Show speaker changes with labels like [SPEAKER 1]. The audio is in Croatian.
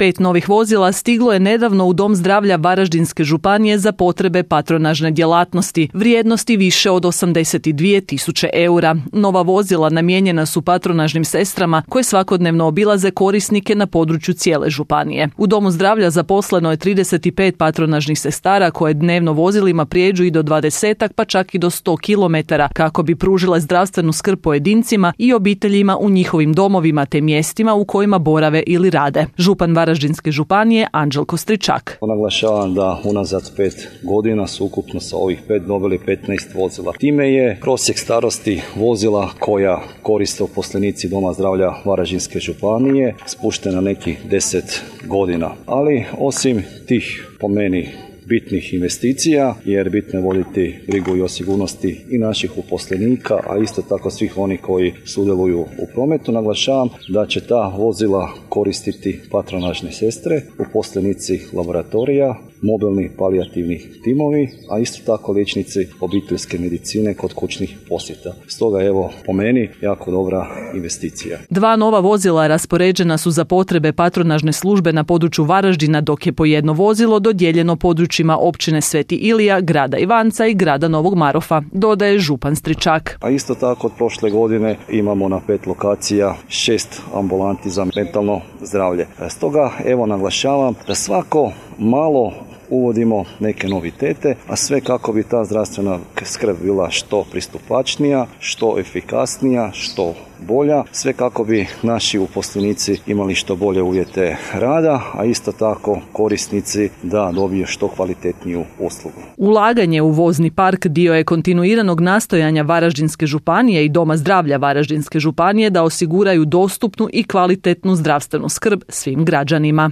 [SPEAKER 1] 5 novih vozila stiglo je nedavno u Dom zdravlja Varaždinske županije za potrebe patronažne djelatnosti, vrijednosti više od 82.000 eura. Nova vozila namijenjena su patronažnim sestrama koje svakodnevno obilaze korisnike na području cijele županije. U Domu zdravlja zaposleno je 35 patronažnih sestara koje dnevno vozilima prijeđu i do 20 pa čak i do 100 km kako bi pružile zdravstvenu skrb pojedincima i obiteljima u njihovim domovima te mjestima u kojima borave ili rade. Župan Varaždinske županije Anđelko Stričak.
[SPEAKER 2] Naglašavam da unazad 5 godina su ukupno sa ovih 5 dobili 15 vozila. Time je prosjek starosti vozila koja koriste uposlenici Doma zdravlja Varaždinske županije spušten na nekih 10 godina. Ali osim tih, po meni, bitnih investicija, jer bitno je voditi brigu i o sigurnosti i naših uposlenika, a isto tako svih onih koji sudjeluju u prometu. Naglašavam da će ta vozila koristiti patronažne sestre, uposlenici laboratorija, mobilni palijativni timovi, a isto tako liječnici obiteljske medicine kod kućnih posjeta. Stoga evo, po meni, jako dobra investicija.
[SPEAKER 1] 2 nova vozila raspoređena su za potrebe patronažne službe na području Varaždina, dok je po jedno vozilo dodijeljeno područjima općine Sveti Ilija, grada Ivanca i grada Novog Marofa, dodaje župan Stričak.
[SPEAKER 2] A isto tako od prošle godine imamo na 5 lokacija 6 ambulanti za mentalno zdravlje. Stoga evo naglašavam da svako malo uvodimo neke novitete, a sve kako bi ta zdravstvena skrb bila što pristupačnija, što efikasnija, što bolja, sve kako bi naši uposlenici imali što bolje uvjete rada, a isto tako korisnici da dobiju što kvalitetniju uslugu.
[SPEAKER 1] Ulaganje u vozni park dio je kontinuiranog nastojanja Varaždinske županije i Doma zdravlja Varaždinske županije da osiguraju dostupnu i kvalitetnu zdravstvenu skrb svim građanima.